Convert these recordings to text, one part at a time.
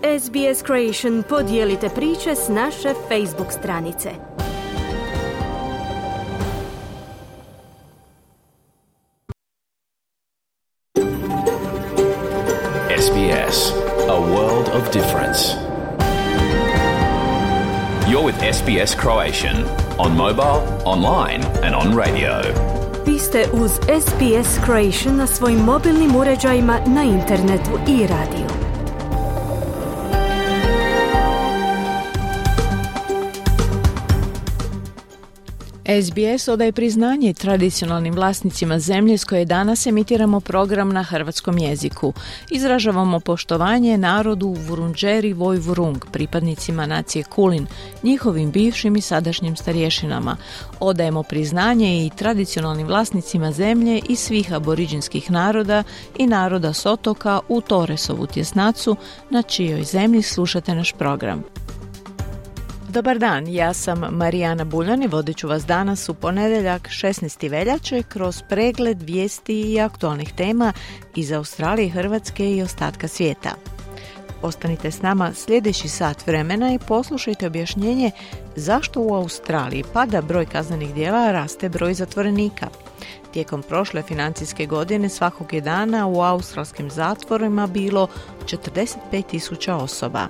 SBS Creation podijelite priče s naše Facebook stranice. SBS, a world of difference. You're with SBS Croatian on mobile, online and on radio. Vi ste uz SBS Croatian na svojim mobilnim uređajima, na internetu i radiju. SBS odaje priznanje tradicionalnim vlasnicima zemlje s koje danas emitiramo program na hrvatskom jeziku. Izražavamo poštovanje narodu Vurundjeri Woi-wurrung, pripadnicima nacije Kulin, njihovim bivšim i sadašnjim starješinama. Odajemo priznanje i tradicionalnim vlasnicima zemlje i svih aboriđinskih naroda i naroda s otoka u Torresovu tjesnacu, na čijoj zemlji slušate naš program. Dobar dan, ja sam Marijana Buljan i vodit ću vas danas u ponedjeljak 16. veljače kroz pregled vijesti i aktualnih tema iz Australije, Hrvatske i ostatka svijeta. Ostanite s nama sljedeći sat vremena i poslušajte objašnjenje zašto u Australiji pada broj kaznenih djela, a raste broj zatvorenika. Tijekom prošle financijske godine svakog je dana u australskim zatvorima bilo 45.000 osoba.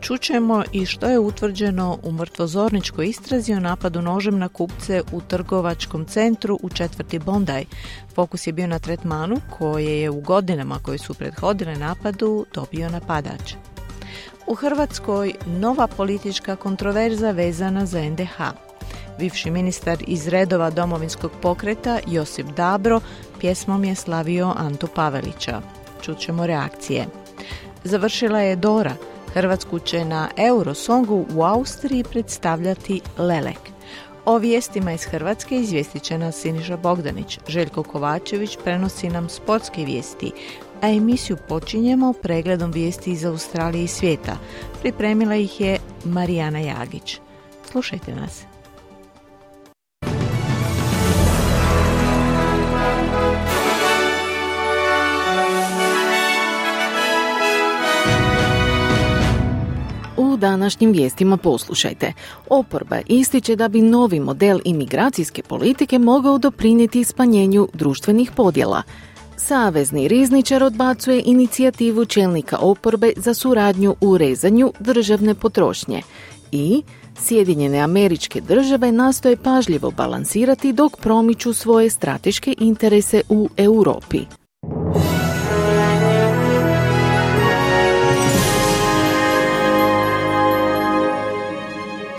Čućemo i što je utvrđeno u mrtvozorničkoj istrazi o napadu nožem na kupce u trgovačkom centru u četvrti Bondi. Fokus je bio na tretmanu koje je u godinama koje su prethodile napadu dobio napadač. U Hrvatskoj nova politička kontroverza vezana za NDH. Bivši ministar iz redova Domovinskog pokreta Josip Dabro pjesmom je slavio Antu Pavelića. Čućemo reakcije. Završila je Dora. Hrvatsku će na Eurosongu u Austriji predstavljati Lelek. O vijestima iz Hrvatske izvijestit će nas Siniša Bogdanić. Željko Kovačević prenosi nam sportske vijesti, a emisiju počinjemo pregledom vijesti iz Australije i svijeta. Pripremila ih je Marijana Jagić. Slušajte nas. U današnjim vijestima poslušajte. Oporba ističe da bi novi model imigracijske politike mogao doprinijeti smanjenju društvenih podjela. Savezni rizničar odbacuje inicijativu čelnika oporbe za suradnju u rezanju državne potrošnje. I Sjedinjene Američke Države nastoje pažljivo balansirati dok promiču svoje strateške interese u Europi.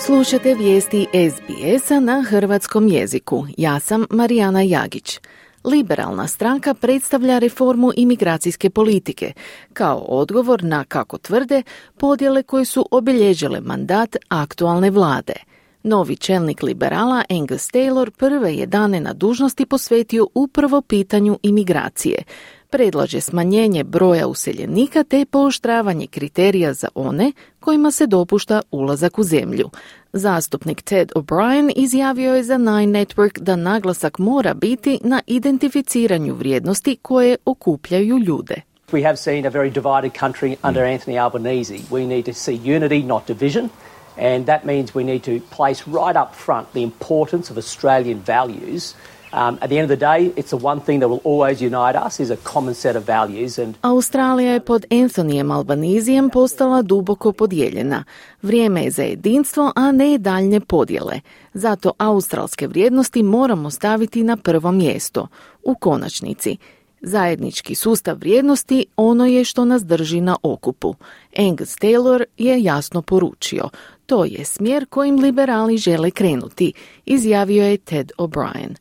Slušate vijesti SBS-a na hrvatskom jeziku. Ja sam Marijana Jagić. Liberalna stranka predstavlja reformu imigracijske politike kao odgovor na, kako tvrde, podjele koje su obilježile mandat aktualne vlade. Novi čelnik liberala Angus Taylor prve je dane na dužnosti posvetio upravo pitanju imigracije. Predlaže smanjenje broja useljenika te pooštravanje kriterija za one kojima se dopušta ulazak u zemlju. Zastupnik Ted O'Brien izjavio je za Nine Network da naglasak mora biti na identificiranju vrijednosti koje okupljaju ljude. We have seen a very divided country under Anthony Albanese. We need to see unity, not division, and that means we need to place right up front the importance of Australian values. At the end of the day, it's the one thing that will always unite us is a common set of values. Australija je pod Anthonyjem Albanezijem postala duboko podijeljena. Vrijeme je za jedinstvo, a ne daljnje podjele. Zato australske vrijednosti moramo staviti na prvo mjesto. U konačnici, zajednički sustav vrijednosti ono je što nas drži na okupu. Angus Taylor je jasno poručio. To je smjer kojim liberali žele krenuti, izjavio je Ted O'Brien.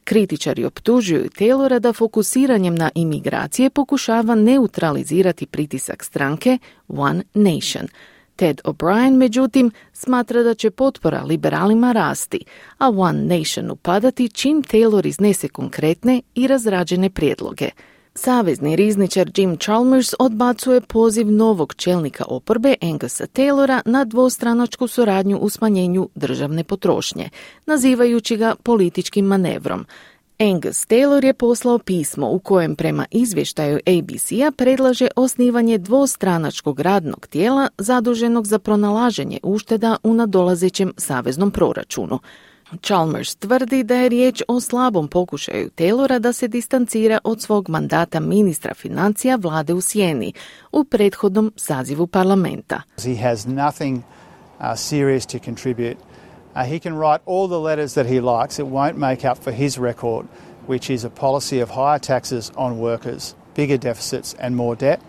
Kritičari optužuju Taylora da fokusiranjem na imigracije pokušava neutralizirati pritisak stranke One Nation. Ted O'Brien, međutim, smatra da će potpora liberalima rasti, a One Nationu padati čim Taylor iznese konkretne i razrađene prijedloge. Savezni rizničar Jim Chalmers odbacuje poziv novog čelnika oporbe Angusa Taylora na dvostranačku suradnju u smanjenju državne potrošnje, nazivajući ga političkim manevrom. Angus Taylor je poslao pismo u kojem prema izvještaju ABC-a predlaže osnivanje dvostranačkog radnog tijela zaduženog za pronalaženje ušteda u nadolazećem saveznom proračunu. Chalmers tvrdi da je riječ o slabom pokušaju Taylora da se distancira od svog mandata ministra financija vlade u sjeni u prethodnom sazivu parlamenta. He has nothing serious to contribute. He can write all the letters that he likes. It won't make up for his record, which is a policy of higher taxes on workers, bigger deficits and more debt.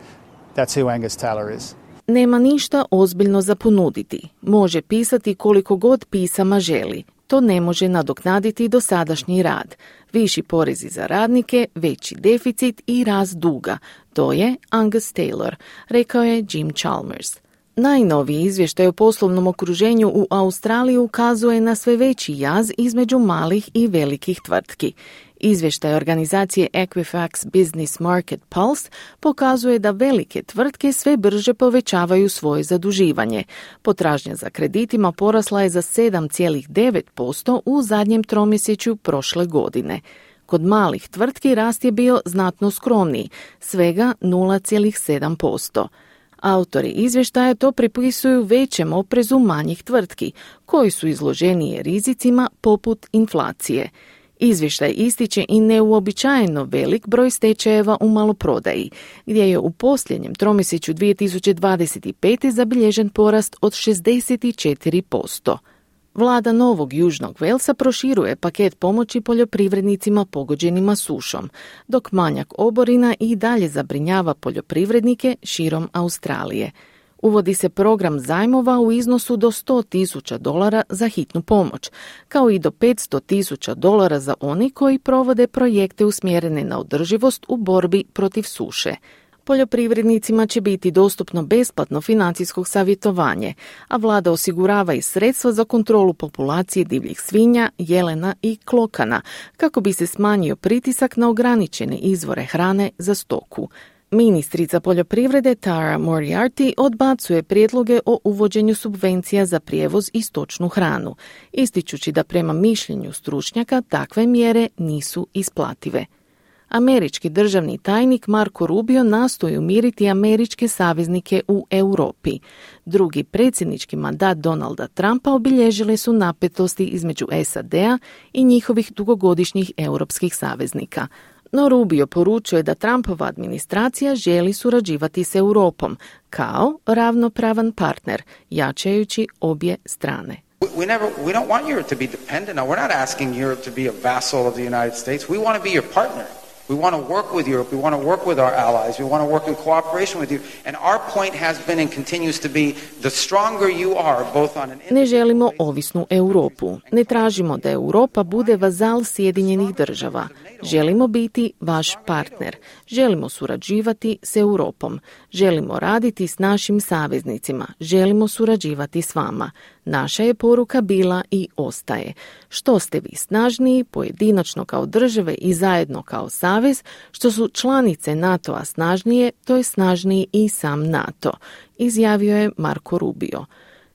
That's who Angus Taylor is. Nema ništa ozbiljno za ponuditi. Može pisati koliko god pisama želi. To ne može nadoknaditi dosadašnji rad. Viši porezi za radnike, veći deficit i rast duga. To je Angus Taylor, rekao je Jim Chalmers. Najnoviji izvještaj o poslovnom okruženju u Australiji ukazuje na sve veći jaz između malih i velikih tvrtki. Izvještaj organizacije Equifax Business Market Pulse pokazuje da velike tvrtke sve brže povećavaju svoje zaduživanje. Potražnja za kreditima porasla je za 7,9% u zadnjem tromjesečju prošle godine. Kod malih tvrtki rast je bio znatno skromniji, svega 0,7%. Autori izvještaja to pripisuju većem oprezu manjih tvrtki, koji su izloženije rizicima poput inflacije. Izvještaj ističe i neuobičajeno velik broj stečajeva u maloprodaji, gdje je u posljednjem tromjesečju 2025. zabilježen porast od 64%. Vlada Novog Južnog Walesa proširuje paket pomoći poljoprivrednicima pogođenima sušom, dok manjak oborina i dalje zabrinjava poljoprivrednike širom Australije. Uvodi se program zajmova u iznosu do $100,000 za hitnu pomoć, kao i do $500,000 za oni koji provode projekte usmjerene na održivost u borbi protiv suše. Poljoprivrednicima će biti dostupno besplatno financijsko savjetovanje, a vlada osigurava i sredstva za kontrolu populacije divljih svinja, jelena i klokana, kako bi se smanjio pritisak na ograničene izvore hrane za stoku. Ministrica poljoprivrede Tara Moriarty odbacuje prijedloge o uvođenju subvencija za prijevoz i stočnu hranu, ističući da prema mišljenju stručnjaka takve mjere nisu isplative. Američki državni tajnik Marco Rubio nastoji umiriti američke saveznike u Europi. Drugi predsjednički mandat Donalda Trumpa obilježile su napetosti između SAD-a i njihovih dugogodišnjih europskih saveznika. No Rubio poručuje da Trumpova administracija želi surađivati s Europom kao ravnopravan partner, jačajući obje strane. We don't want Europe to be dependent. Now, we're not asking Europe to be a vassal of the United States. We want to be your partner. We want to work with Europe. We want to work with our allies. We want to work in cooperation with you. And our point has been and continues to be the stronger you are, both on an... Ne želimo ovisnu Europu. Ne tražimo da Europa bude vazal Sjedinjenih država. Želimo biti vaš partner. Želimo surađivati s Europom. Želimo raditi s našim saveznicima. Želimo surađivati s vama. Naša je poruka bila i ostaje. Što ste vi snažniji, pojedinačno kao države i zajedno kao savez, što su članice NATO-a snažnije, to je snažniji i sam NATO, izjavio je Marco Rubio.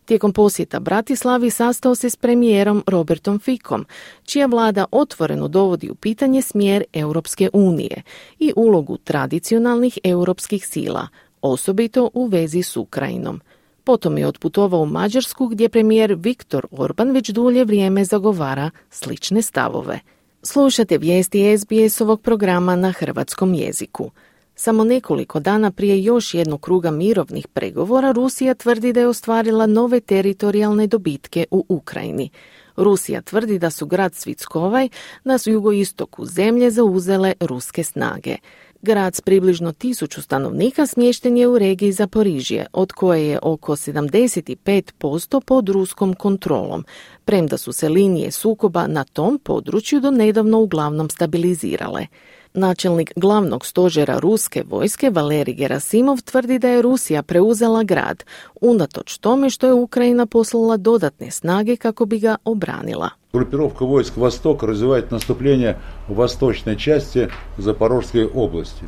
Tijekom posjeta Bratislavi sastao se s premijerom Robertom Ficom, čija vlada otvoreno dovodi u pitanje smjer Europske unije i ulogu tradicionalnih europskih sila, osobito u vezi s Ukrajinom. Potom je otputovao u Mađarsku, gdje premijer Viktor Orban već dulje vrijeme zagovara slične stavove. Slušate vijesti SBS-ovog programa na hrvatskom jeziku. Samo nekoliko dana prije još jednog kruga mirovnih pregovora, Rusija tvrdi da je ostvarila nove teritorijalne dobitke u Ukrajini. Rusija tvrdi da su grad Svitskovaj na jugoistoku zemlje zauzele ruske snage. Grad s približno 1000 stanovnika smješten je u regiji Zaporižje, od koje je oko 75% pod ruskom kontrolom, premda su se linije sukoba na tom području do nedavno uglavnom stabilizirale. Načelnik glavnog stožera ruske vojske Valerij Gerasimov tvrdi da je Rusija preuzela grad, unatoč tome što je Ukrajina poslala dodatne snage kako bi ga obranila. Группировка войск «Восток» развивает наступление в восточной части Запорожской области.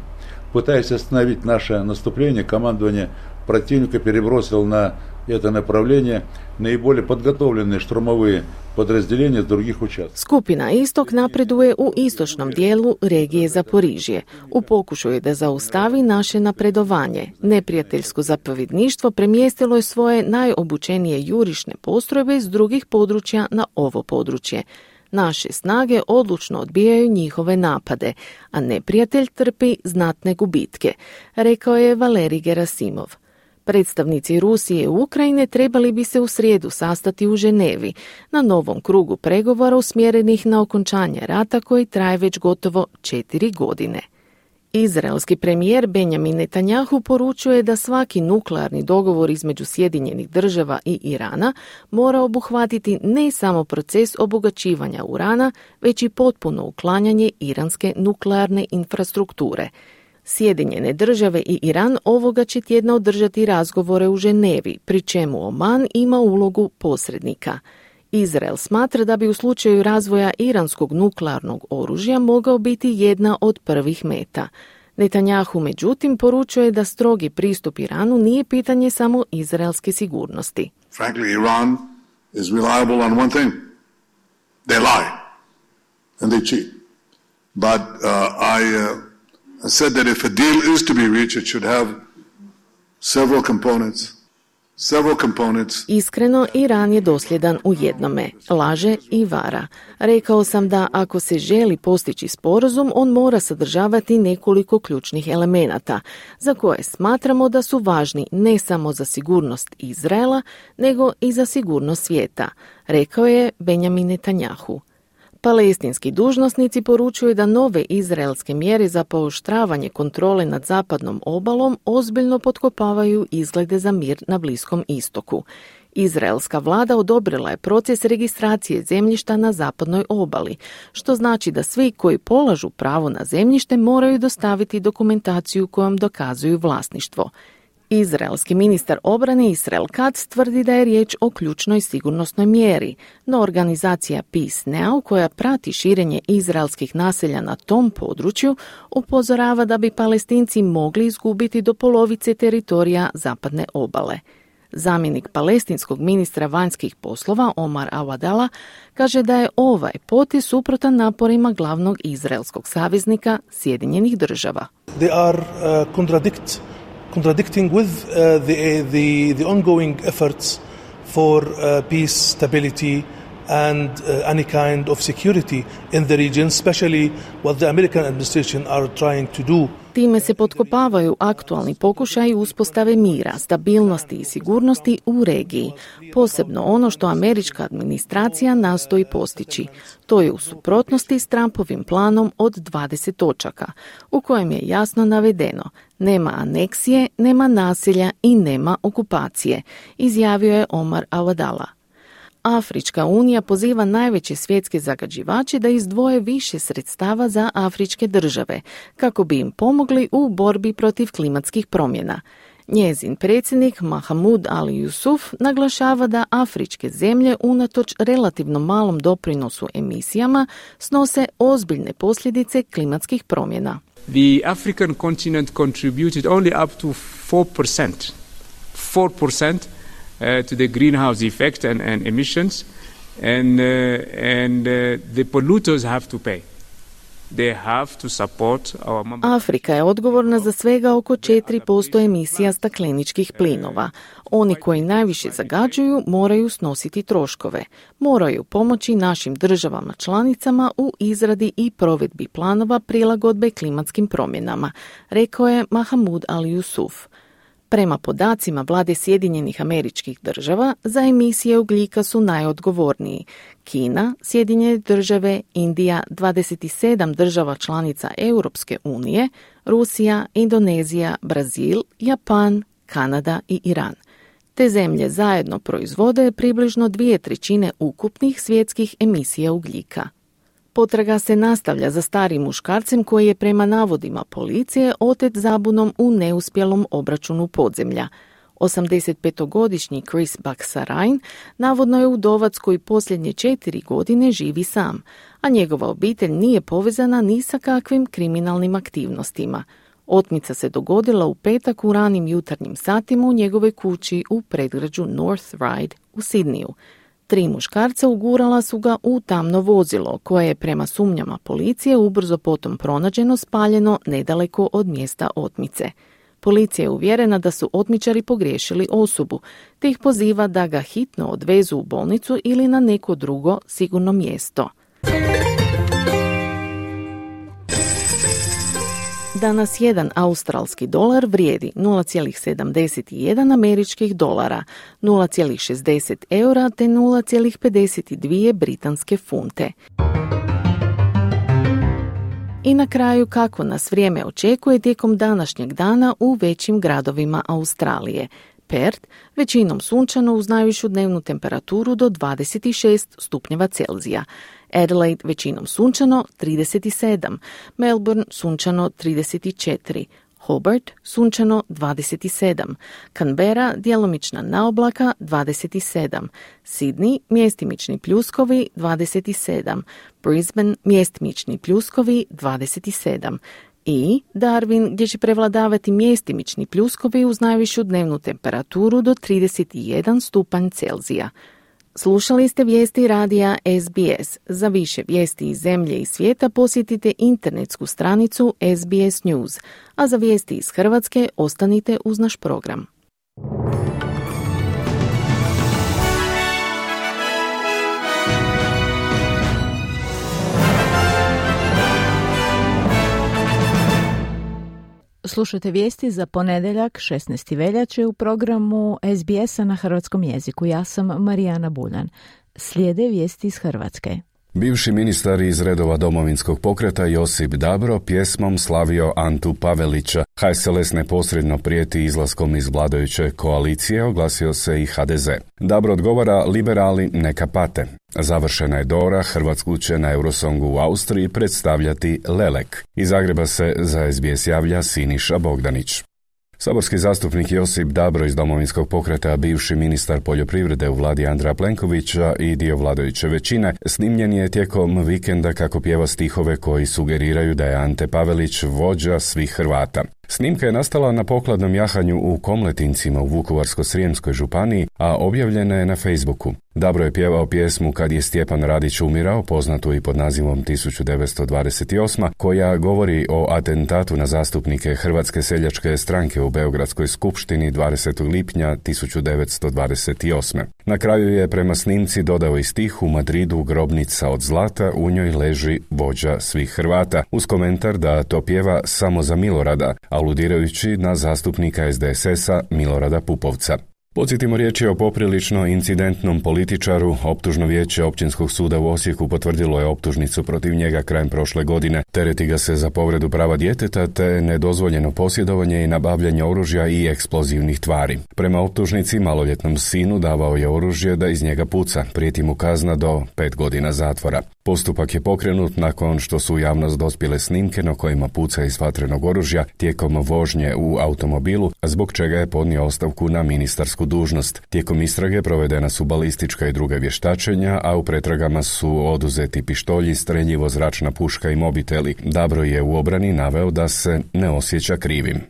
Пытаясь остановить наше наступление, командование противника перебросило на это направление наиболее подготовленные штурмовые подразделения с других участков. Skupina Istok napreduje u istočnom dijelu regije Zaporižje. U pokušaju da zaustavi naše napredovanje, neprijateljsko zapovjedništvo premjestilo je svoje najobučenije jurišne postrojbe iz drugih područja na ovo područje. Naše snage odlučno odbijaju njihove napade, a neprijatelj trpi znatne gubitke, rekao je Valerij Gerasimov. Predstavnici Rusije i Ukrajine trebali bi se u srijedu sastati u Ženevi na novom krugu pregovora usmjerenih na okončanje rata koji traje već gotovo 4 godine. Izraelski premijer Benjamin Netanjahu poručuje da svaki nuklearni dogovor između Sjedinjenih Država i Irana mora obuhvatiti ne samo proces obogaćivanja urana, već i potpuno uklanjanje iranske nuklearne infrastrukture. Sjedinjene Države i Iran ovoga će tjedna održati razgovore u Ženevi, pri čemu Oman ima ulogu posrednika. Izrael smatra da bi u slučaju razvoja iranskog nuklearnog oružja mogao biti jedna od prvih meta. Netanjahu međutim poručuje da strogi pristup Iranu nije pitanje samo izraelske sigurnosti. Frankly, Iran is reliable on one thing. They lie and they cheat. But I said that if a deal is to be reached, it should have several components. Iskreno, Iran je dosljedan u jednome, laže i vara. Rekao sam da ako se želi postići sporazum, on mora sadržavati nekoliko ključnih elemenata, za koje smatramo da su važni ne samo za sigurnost Izraela, nego i za sigurnost svijeta, rekao je Benjamin Netanjahu. Palestinski dužnosnici poručuju da nove izraelske mjere za pooštravanje kontrole nad zapadnom obalom ozbiljno potkopavaju izglede za mir na Bliskom istoku. Izraelska vlada odobrila je proces registracije zemljišta na zapadnoj obali, što znači da svi koji polažu pravo na zemljište moraju dostaviti dokumentaciju kojom dokazuju vlasništvo. Izraelski ministar obrane Israel Katz tvrdi da je riječ o ključnoj sigurnosnoj mjeri, no organizacija Peace Now, koja prati širenje izraelskih naselja na tom području, upozorava da bi Palestinci mogli izgubiti do polovice teritorija zapadne obale. Zamjenik palestinskog ministra vanjskih poslova Omar Awadallah kaže da je ovaj potez suprotan naporima glavnog izraelskog saveznika Sjedinjenih Država. They are contradicting with the ongoing efforts for peace, stability and any kind of security in the region, especially what the American administration are trying to do. Time se potkopavaju aktualni pokušaji uspostave mira, stabilnosti i sigurnosti u regiji, posebno ono što američka administracija nastoji postići. To je u suprotnosti s Trumpovim planom od 20 točaka, u kojem je jasno navedeno: nema aneksije, nema nasilja i nema okupacije, izjavio je Omar Awadallah. Afrička unija poziva najveće svjetske zagađivače da izdvoje više sredstava za afričke države, kako bi im pomogli u borbi protiv klimatskih promjena. Njezin predsjednik Mahamoud Ali Yusuf naglašava da afričke zemlje unatoč relativno malom doprinosu emisijama snose ozbiljne posljedice klimatskih promjena. The African continent contributed only up to 4% to the greenhouse effect and emissions, and the polluters have to pay. They have to support our Afrika je odgovorna za svega oko 4% emisija stakleničkih plinova. Oni koji najviše zagađuju moraju snositi troškove. Moraju pomoći našim državama članicama u izradi i provedbi planova prilagodbe klimatskim promjenama, rekao je Mahamoud Ali Yusuf. Prema podacima Vlade Sjedinjenih Američkih Država, za emisije ugljika su najodgovorniji Kina, Sjedinjene Države, Indija, 27 država članica Europske unije, Rusija, Indonezija, Brazil, Japan, Kanada i Iran. Te zemlje zajedno proizvode približno 2/3 ukupnih svjetskih emisija ugljika. Potraga se nastavlja za starim muškarcem koji je prema navodima policije otet zabunom u neuspjelom obračunu podzemlja. 85-godišnji Chris Baksarain navodno je udovac koji posljednje 4 godine živi sam, a njegova obitelj nije povezana ni sa kakvim kriminalnim aktivnostima. Otmica se dogodila u petak u ranim jutarnjim satima u njegovoj kući u predgrađu North Ryde u Sidniju. 3 muškarca ugurala su ga u tamno vozilo, koje je prema sumnjama policije ubrzo potom pronađeno spaljeno nedaleko od mjesta otmice. Policija je uvjerena da su otmičari pogriješili osobu, te ih poziva da ga hitno odvezu u bolnicu ili na neko drugo sigurno mjesto. Danas jedan australski dolar vrijedi 0,71 američkih dolara, 0,60 eura te 0,52 britanske funte. I na kraju kako nas vrijeme očekuje tijekom današnjeg dana u većim gradovima Australije. Perth, većinom sunčano uz najvišu dnevnu temperaturu do 26 stupnjeva Celzija. Adelaide većinom sunčano 37, Melbourne sunčano 34, Hobart sunčano 27, Canberra djelomična naoblaka 27, Sydney mjestimični pljuskovi 27, Brisbane mjestimični pljuskovi 27 i Darwin gdje će prevladavati mjestimični pljuskovi uz najvišu dnevnu temperaturu do 31 stupanj Celzija. Slušali ste vijesti radija SBS. Za više vijesti iz zemlje i svijeta posjetite internetsku stranicu SBS News, a za vijesti iz Hrvatske ostanite uz naš program. Slušajte vijesti za ponedjeljak 16. veljače u programu SBS-a na hrvatskom jeziku. Ja sam Marijana Buljan. Slijede vijesti iz Hrvatske. Bivši ministar iz redova Domovinskog pokreta Josip Dabro pjesmom slavio Antu Pavelića. HSLS neposredno prijeti izlaskom iz vladajuće koalicije, oglasio se i HDZ. Dabro odgovara, liberali neka pate. Završena je Dora, Hrvatsku će na Eurosongu u Austriji predstavljati Lelek. Iz Zagreba se za SBS javlja Siniša Bogdanić. Saborski zastupnik Josip Dabro iz Domovinskog pokreta, bivši ministar poljoprivrede u vladi Andreja Plenkovića i dio vladajuće većine, snimljen je tijekom vikenda kako pjeva stihove koji sugeriraju da je Ante Pavelić vođa svih Hrvata. Snimka je nastala na pokladnom jahanju u Komletincima u Vukovarsko-srijemskoj županiji, a objavljena je na Facebooku. Dabro je pjevao pjesmu Kad je Stjepan Radić umirao, poznatu i pod nazivom 1928, koja govori o atentatu na zastupnike Hrvatske seljačke stranke u Beogradskoj skupštini 20. lipnja 1928. Na kraju je prema snimci dodao i stih U Madridu grobnica od zlata, u njoj leži vođa svih Hrvata, uz komentar da to pjeva samo za Milorada, aludirajući na zastupnika SDSS-a Milorada Pupovca. Podsjetimo, riječ je o poprilično incidentnom političaru. Optužno vijeće Općinskog suda u Osijeku potvrdilo je optužnicu protiv njega krajem prošle godine. Tereti ga se za povredu prava djeteta te nedozvoljeno posjedovanje i nabavljanje oružja i eksplozivnih tvari. Prema optužnici, maloljetnom sinu davao je oružje da iz njega puca. Prijeti mu kazna do 5 godina zatvora. Postupak je pokrenut nakon što su u javnost dospjele snimke na kojima puca iz vatrenog oružja tijekom vožnje u automobilu, zbog čega je podnio ostavku na ministarsku dužnost. Tijekom istrage provedena su balistička i druga vještačenja, a u pretragama su oduzeti pištolji, streljivo, zračna puška i mobiteli. Dabro je u obrani naveo da se ne osjeća krivim.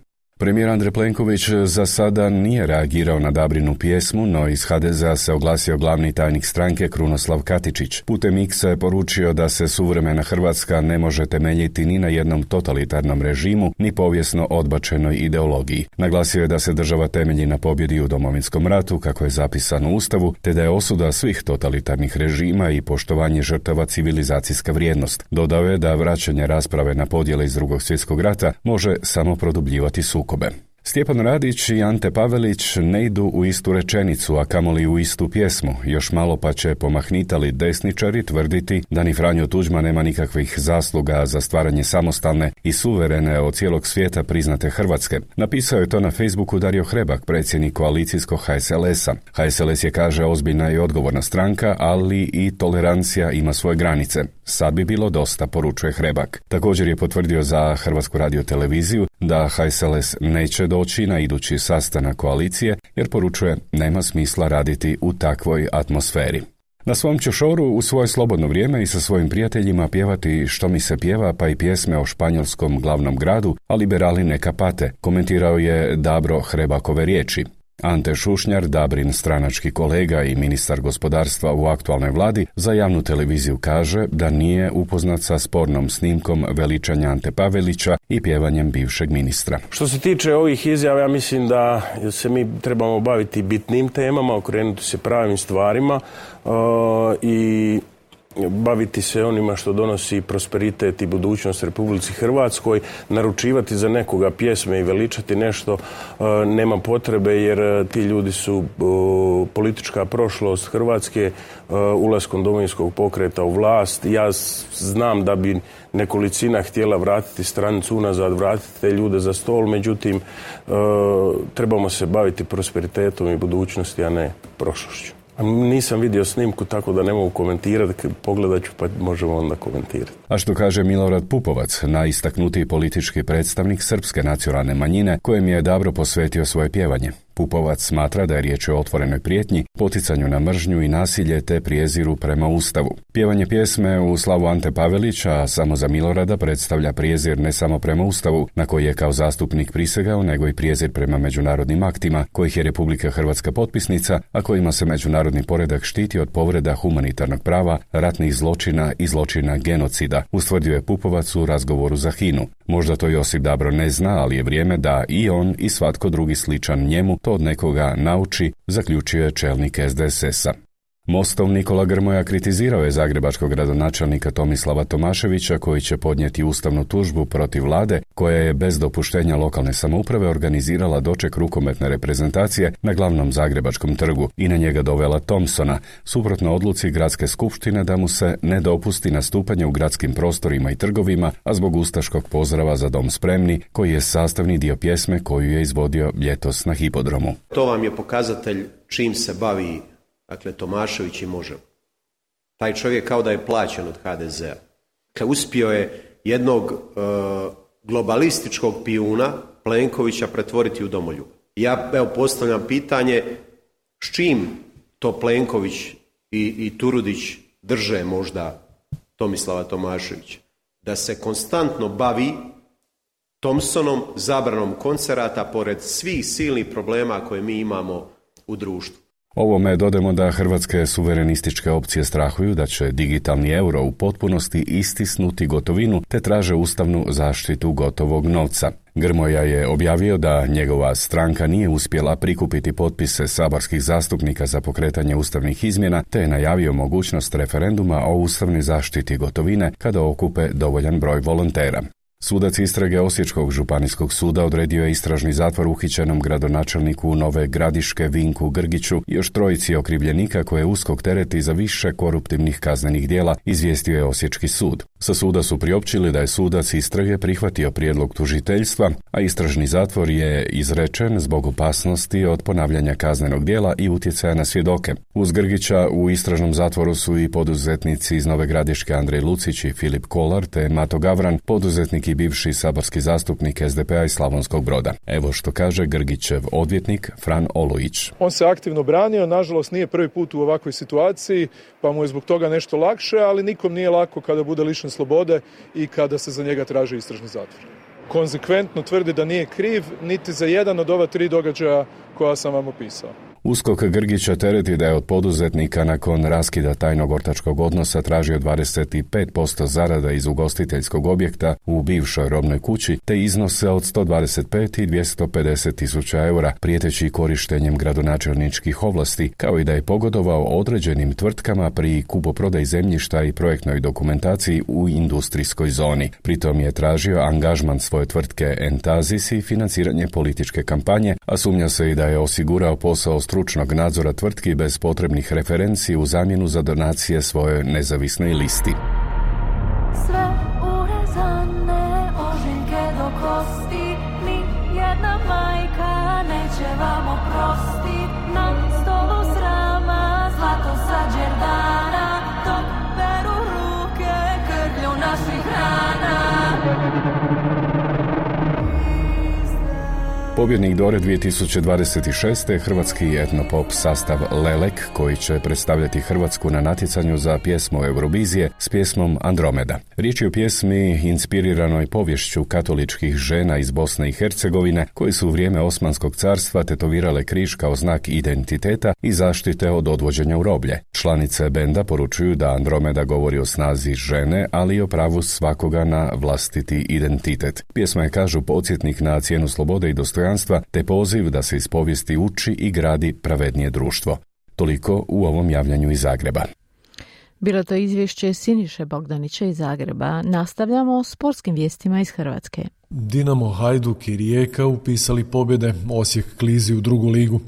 Premijer Andrej Plenković za sada nije reagirao na Dabrinu pjesmu, no iz HDZ-a se oglasio glavni tajnik stranke Krunoslav Katičić. Putem X-a je poručio da se suvremena Hrvatska ne može temeljiti ni na jednom totalitarnom režimu, ni povijesno odbačenoj ideologiji. Naglasio je da se država temelji na pobjedi u Domovinskom ratu, kako je zapisano u Ustavu, te da je osuda svih totalitarnih režima i poštovanje žrtava civilizacijska vrijednost. Dodao je da vraćanje rasprave na podjele iz Drugog svjetskog rata može samo produbljivati sukobe. Stjepan Radić i Ante Pavelić ne idu u istu rečenicu, a kamoli u istu pjesmu. Još malo pa će pomahnitali desničari tvrditi da ni Franjo Tuđman nema nikakvih zasluga za stvaranje samostalne i suverene od cijelog svijeta priznate Hrvatske. Napisao je to na Facebooku Dario Hrebak, predsjednik koalicijskog HSLS-a. HSLS je, kaže, ozbiljna i odgovorna stranka, ali i tolerancija ima svoje granice. Sad bi bilo dosta, poručuje Hrebak. Također je potvrdio za Hrvatsku radioteleviziju da HSLS neće doći na idući sastanak koalicije, jer poručuje nema smisla raditi u takvoj atmosferi. Na svom će šoru u svoje slobodno vrijeme i sa svojim prijateljima pjevati Što mi se pjeva, pa i pjesme o španjolskom glavnom gradu, a liberali neka pate, komentirao je Dabro Hrebakove riječi. Ante Šušnjar, Dabrin stranački kolega i ministar gospodarstva u aktualnoj vladi, za javnu televiziju kaže da nije upoznat sa spornom snimkom veličanja Ante Pavelića i pjevanjem bivšeg ministra. Što se tiče ovih izjava, ja mislim da se mi trebamo baviti bitnim temama, okrenuti se pravim stvarima i baviti se onima što donosi prosperitet i budućnost Republici Hrvatskoj. Naručivati za nekoga pjesme i veličati nešto nema potrebe, jer ti ljudi su politička prošlost Hrvatske ulaskom Domovinskog pokreta u vlast. Ja znam da bi nekolicina htjela vratiti stranicu unazad, vratiti te ljude za stol, međutim trebamo se baviti prosperitetom i budućnosti, a ne prošlošću. Nisam vidio snimku, tako da ne mogu komentirati, pogledat ću pa možemo onda komentirati. A što kaže Milorad Pupovac, najistaknutiji politički predstavnik srpske nacionalne manjine, kojem je Dabro posvetio svoje pjevanje. Pupovac smatra da je riječ o otvorenoj prijetnji, poticanju na mržnju i nasilje te prijeziru prema Ustavu. Pjevanje pjesme u slavu Ante Pavelića, a samo za Milorada, predstavlja prijezir ne samo prema Ustavu, na koji je kao zastupnik prisegao, nego i prijezir prema međunarodnim aktima, kojih je Republika Hrvatska potpisnica, a kojima se međunarodni poredak štiti od povreda humanitarnog prava, ratnih zločina i zločina genocida, ustvrdio je Pupovac u razgovoru za HINA-u. Možda to Josip Dabro ne zna, ali je vrijeme da i on i svatko drugi sličan njemu to od nekoga nauči, zaključio je čelnik SDSS-a. Mostov Nikola Grmoja kritizirao je zagrebačkog gradonačelnika Tomislava Tomaševića, koji će podnijeti ustavnu tužbu protiv vlade koja je bez dopuštenja lokalne samouprave organizirala doček rukometne reprezentacije na glavnom zagrebačkom trgu i na njega dovela Thompsona, suprotno odluci gradske skupštine da mu se ne dopusti nastupanje u gradskim prostorima i trgovima, a zbog ustaškog pozdrava Za dom spremni, koji je sastavni dio pjesme koju je izvodio ljetos na hipodromu. To vam je pokazatelj čim se bavi Tomašević i Možemo. Taj čovjek kao da je plaćen od HDZ-a. Uspio je jednog globalističkog pijuna Plenkovića pretvoriti u domoljuba. Ja postavljam pitanje s čim to Plenković i Turudić drže možda Tomislava Tomaševića. Da se konstantno bavi Thompsonom, zabranom koncerata pored svih silnih problema koje mi imamo u društvu. Ovome dodamo da hrvatske suverenističke opcije strahuju da će digitalni euro u potpunosti istisnuti gotovinu te traže ustavnu zaštitu gotovog novca. Grmoja je objavio da njegova stranka nije uspjela prikupiti potpise saborskih zastupnika za pokretanje ustavnih izmjena te je najavio mogućnost referenduma o ustavnoj zaštiti gotovine kada okupe dovoljan broj volontera. Sudac istrage Osječkog županijskog suda odredio je istražni zatvor uhićenom gradonačelniku Nove Gradiške Vinku Grgiću i još trojici okrivljenika koje USKOK tereti za više koruptivnih kaznenih djela, izvijestio je Osječki sud. Sa suda su priopćili da je sudac istrage prihvatio prijedlog tužiteljstva, a istražni zatvor je izrečen zbog opasnosti od ponavljanja kaznenog djela i utjecaja na svjedoke. Uz Grgića u istražnom zatvoru su i poduzetnici iz Nove Gradiške Andrej Lucić i Filip Kolar te Mato Gavran, poduzetnik i bivši saborski zastupnik SDP-a iz Slavonskog Broda. Evo što kaže Grgićev odvjetnik Fran Olojić. On se aktivno branio, nažalost nije prvi put u ovakvoj situaciji, pa mu je zbog toga nešto lakše, ali nikom nije lako kada bude lišen slobode i kada se za njega traži istražni zatvor. Konzekventno tvrdi da nije kriv niti za jedan od ova 3 događaja koja sam vam opisao. USKOK Grgića tereti da je od poduzetnika nakon raskida tajnog ortačkog odnosa tražio 25% zarada iz ugostiteljskog objekta u bivšoj robnoj kući te iznose od 125 i 250 tisuća eura, prijeteći korištenjem gradonačelničkih ovlasti, kao i da je pogodovao određenim tvrtkama pri kupoprodaji zemljišta i projektnoj dokumentaciji u industrijskoj zoni. Pritom je tražio angažman svoje tvrtke Entazis i financiranje političke kampanje, a sumnja se i da je osigurao posao stručnog nadzora tvrtki bez potrebnih referenci u zamjenu za donacije svojoj nezavisnoj listi. Sve urezane ožiljke do kosti, ni jedna majka neće vam oprostit. Na stolu srama zlato sa džerdana, dok peru ruke krvlju naših rana. Pobjednik Dore 2026. hrvatski etnopop sastav Lelek, koji će predstavljati Hrvatsku na natjecanju za pjesmu Eurovizije s pjesmom Andromeda. Riječ je o pjesmi inspiriranoj povješću katoličkih žena iz Bosne i Hercegovine, koji su u vrijeme Osmanskog carstva tetovirale križ kao znak identiteta i zaštite od odvođenja u roblje. Članice benda poručuju da Andromeda govori o snazi žene, ali i o pravu svakoga na vlastiti identitet. Pjesma je, kažu, podsjetnik na cijenu slobode i dostojanstva, te poziv da se iz povijesti uči i gradi pravednije društvo. Toliko u ovom javljanju iz Zagreba. Bilo to izvješće Siniše Bogdanića iz Zagreba. Nastavljamo s sportskim vijestima iz Hrvatske. Dinamo, Hajduk i Rijeka upisali pobjede, Osijek klizi u drugu ligu.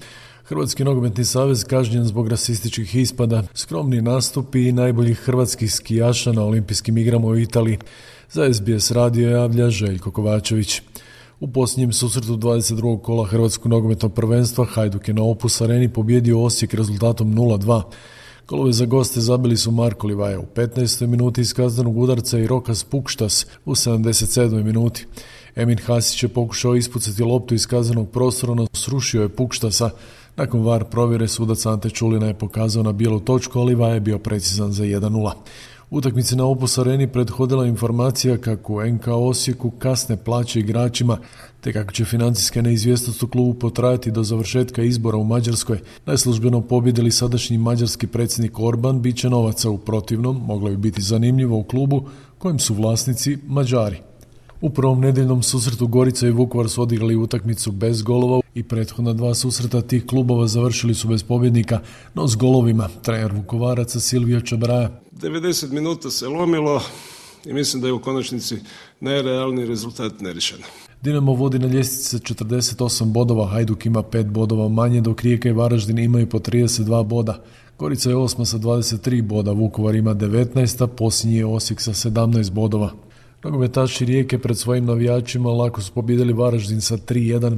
Hrvatski nogometni savez kažnjen zbog rasističkih ispada, skromni nastupi i najboljih hrvatskih skijaša na olimpijskim igrama u Italiji. Za SBS radio javlja Željko Kovačević. U posljednjem susretu 22. kola Hrvatskog nogometnog prvenstva Hajduk je na Opus Areni pobjedio Osijek rezultatom 0-2. Golove za goste zabili su Marko Livaja u 15. minuti iz kaznenog udarca i Rokas Pukštas u 77. minuti. Emin Hasić je pokušao ispucati loptu iz kaznenog prostora, no srušio je Pukštasa. Nakon VAR provjere sudac Ante Čulina je pokazao na bijelu točku, ali Livaja je bio precizan za 1-0. Utakmici na Opus Areni prethodila informacija kako u NK Osijeku kasne plaće igračima, te kako će financijska neizvjesnost u klubu potrajati do završetka izbora u Mađarskoj. Najslužbeno pobjedili sadašnji mađarski predsjednik Orban, bit će novaca, u protivnom moglo bi biti zanimljivo u klubu kojem su vlasnici Mađari. U prvom nedjeljnom susretu Gorica i Vukovar su odigrali utakmicu bez golova i prethodna dva susreta tih klubova završili su bez pobjednika, no s golovima. Trener Vukovaraca Silvio Čabraja. 90 minuta se lomilo i mislim da je u konačnici najrealniji rezultat nerešen. Dinamo vodi na ljestvici sa 48 bodova, Hajduk ima 5 bodova manje, dok Rijeka i Varaždin imaju po 32 boda. Gorica je 8 sa 23 boda, Vukovar ima 19, a posljednji je Osijek sa 17 bodova. Nogometaši Rijeke pred svojim navijačima lako su pobjedili Varaždin sa 3-1.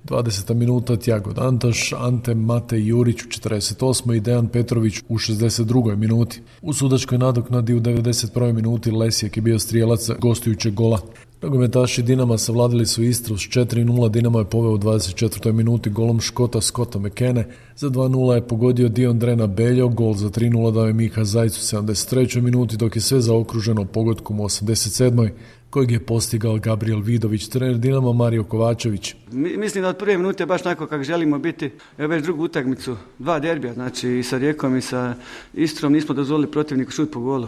20. minuta Tjago Dantaš, Ante Mate Jurić u 48. i Dejan Petrović u 62. minuti. U sudačkoj nadoknadi u 91. minuti Lesijek je bio strijelac gostujućeg gola. Nogometaši Dinama savladili su Istru s 4-0, Dinamo je poveo u 24. minuti golom Škota Scotta McKenne, za 2-0 je pogodio Dion Drena Beljo, gol za 3-0 dao je Miha Zajc u 73. minuti, dok je sve zaokruženo pogodkom u 87. kojeg je postigao Gabriel Vidović, trener Dinama Mario Kovačević. Mislim da od prve minute baš tako kako želimo biti, već drugu utakmicu, 2 derbija, znači i sa Rijekom i sa Istrom nismo dozvolili protivniku šut po golu.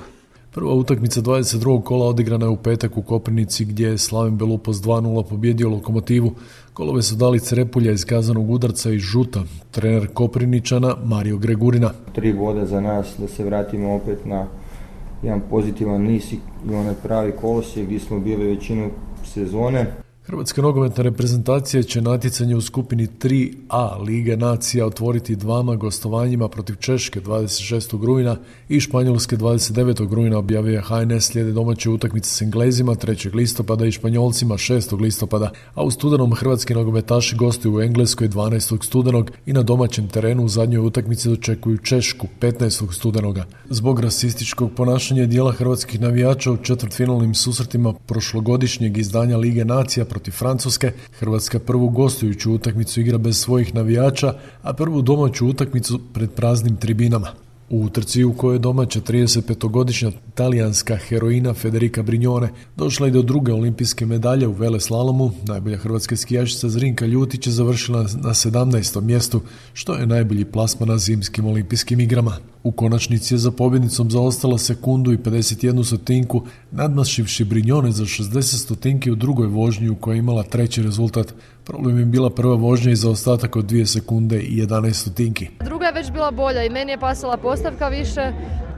Prva utakmica 22. kola odigrana je u petak u Koprivnici, gdje je Slaven Belupos 2-0 pobjedio Lokomotivu. Golove su dali Crepulja iz kazanog udarca i Žuta, trener Koprivničana Mario Gregurina. 3 boda za nas da se vratimo opet na jedan pozitivan niz i onaj pravi kolosijek gdje smo bili većinu sezone. Hrvatska nogometna reprezentacija će natjecanje u skupini 3A Lige nacija otvoriti dvama gostovanjima protiv Češke 26. rujna i Španjolske 29. rujna, objavio HNS. Slijede domaće utakmice s Englezima 3. listopada i Španjolcima 6. listopada, a u studenom hrvatski nogometaši gostuju u Engleskoj 12. studenog i na domaćem terenu u zadnjoj utakmici dočekuju Češku 15. studenoga. Zbog rasističkog ponašanja dijela hrvatskih navijača u četvrtfinalnim susretima prošlogodišnjeg izdanja Lige nacija protiv Francuske, Hrvatska prvu gostujuću utakmicu igra bez svojih navijača, a prvu domaću utakmicu pred praznim tribinama. U utrci u kojoj je domaća 35-godišnja talijanska heroina Federica Brignone došla i do druge olimpijske medalje u veleslalomu, najbolja hrvatska skijašica Zrinka Ljutić je završila na 17. mjestu, što je najbolji plasman na zimskim olimpijskim igrama. U konačnici je za pobjednicom zaostala sekundu i 51 stotinku, nadmašivši Brignone za 60 stotinki u drugoj vožnji u kojoj je imala treći rezultat. Problem je bila prva vožnja i zaostatak od 2 sekunde i 11 stotinki. Druga je već bila bolja i meni je pasala postavka više,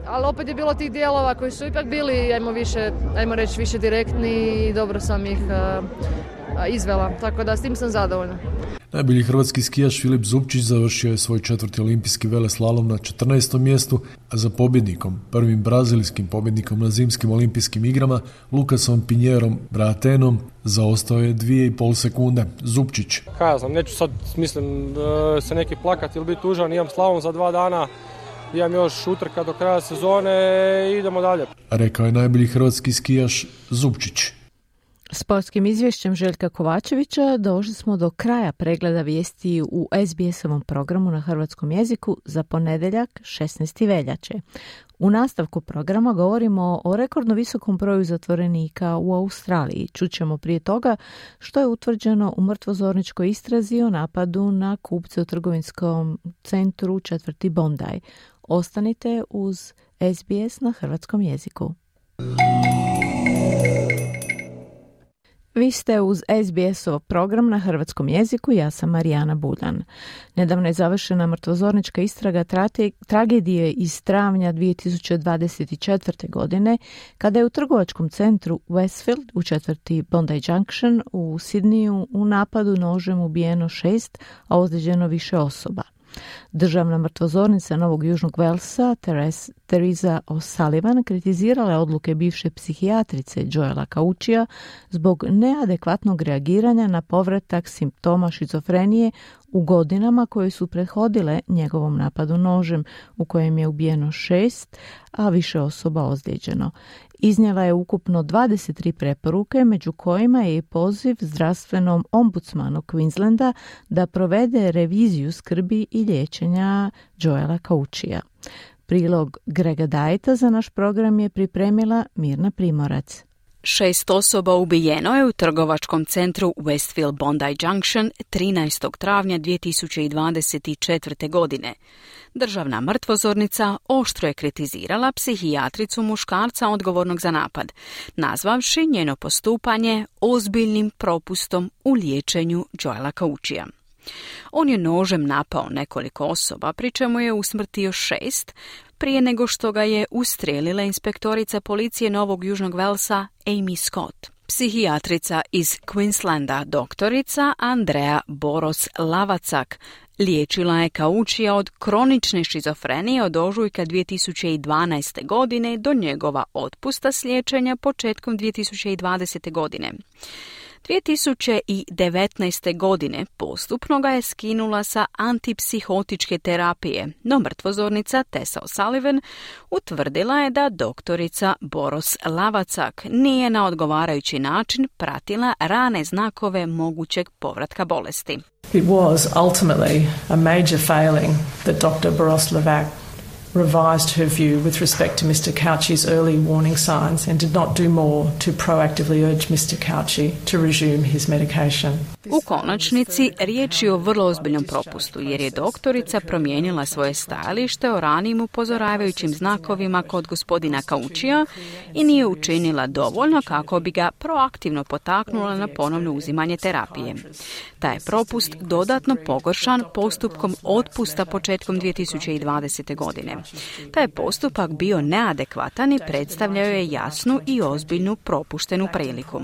ali opet je bilo tih dijelova koji su ipak bili, ajmo reći, više direktni i dobro sam ih izvela, tako da s tim sam zadovoljna. Najbolji hrvatski skijaš Filip Zupčić završio je svoj 4. olimpijski veleslalom na 14. mjestu, a za pobjednikom, prvim brazilskim pobjednikom na zimskim olimpijskim igrama, Lukasom Pinjerom Bratenom, zaostao je 2,5 sekunde. Zupčić. Ja znam, neću sad, mislim, se neki plakati ili biti tužan, imam slalom za 2 dana, imam još utrka do kraja sezone i idemo dalje. Rekao je najbolji hrvatski skijaš Zupčić. Sportskim izvješćem Željka Kovačevića došli smo do kraja pregleda vijesti u SBS-ovom programu na hrvatskom jeziku za ponedjeljak 16. veljače. U nastavku programa govorimo o rekordno visokom broju zatvorenika u Australiji. Čućemo prije toga što je utvrđeno u mrtvozorničkoj istrazi o napadu na kupce u trgovinskom centru četvrti Bondi. Ostanite uz SBS na hrvatskom jeziku. Vi ste uz SBS-ov program na hrvatskom jeziku, ja sam Marijana Buljan. Nedavno je završena mrtvozornička istraga tragedije iz travnja 2024. godine, kada je u trgovačkom centru Westfield u četvrti Bondi Junction u Sidniju u napadu nožem ubijeno 6, a ozlijeđeno više osoba. Državna mrtvozornica Novog Južnog Velsa, Teresa O'Sullivan, kritizirala je odluke bivše psihijatrice Joela Cauchija zbog neadekvatnog reagiranja na povratak simptoma šizofrenije u godinama koje su prethodile njegovom napadu nožem, u kojem je ubijeno 6, a više osoba ozlijeđeno. Iznijela je ukupno 23 preporuke, među kojima je i poziv zdravstvenom ombudsmanu Queenslanda da provede reviziju skrbi i liječenja Joela Cauchija. Prilog Grega Dajta za naš program je pripremila Mirna Primorac. 6 osoba ubijeno je u trgovačkom centru Westfield Bondi Junction 13. travnja 2024. godine. Državna mrtvozornica oštro je kritizirala psihijatricu muškarca odgovornog za napad, nazvavši njeno postupanje ozbiljnim propustom u liječenju Joela Cauchija. On je nožem napao nekoliko osoba, pri čemu je usmrtio 6, prije nego što ga je ustrijelila inspektorica policije Novog Južnog Velsa Amy Scott. Psihijatrica iz Queenslanda, doktorica Andrea Boros-Lavacak, liječila je Cauchija od kronične šizofrenije od ožujka 2012. godine do njegova otpusta s liječenja početkom 2020. godine. 2019. godine postupno ga je skinula sa antipsihotičke terapije, no mrtvozornica Tessa O'Sullivan utvrdila je da doktorica Boros-Lavacak nije na odgovarajući način pratila rane znakove mogućeg povratka bolesti. It was ultimately a major failing that Dr. Boros-Lavacak revised her view with respect to Mr. Cauchi's early warning signs and did not do more to proactively urge Mr. Cauchi to resume his medication. U konačnici riječ je o vrlo ozbiljnom propustu, jer je doktorica promijenila svoje stajalište o ranijim upozoravajućim znakovima kod gospodina Cauchija i nije učinila dovoljno kako bi ga proaktivno potaknula na ponovno uzimanje terapije. Taj je propust dodatno pogoršan postupkom otpusta početkom 2020. godine. Taj je postupak bio neadekvatan i predstavljao je jasnu i ozbiljnu propuštenu priliku.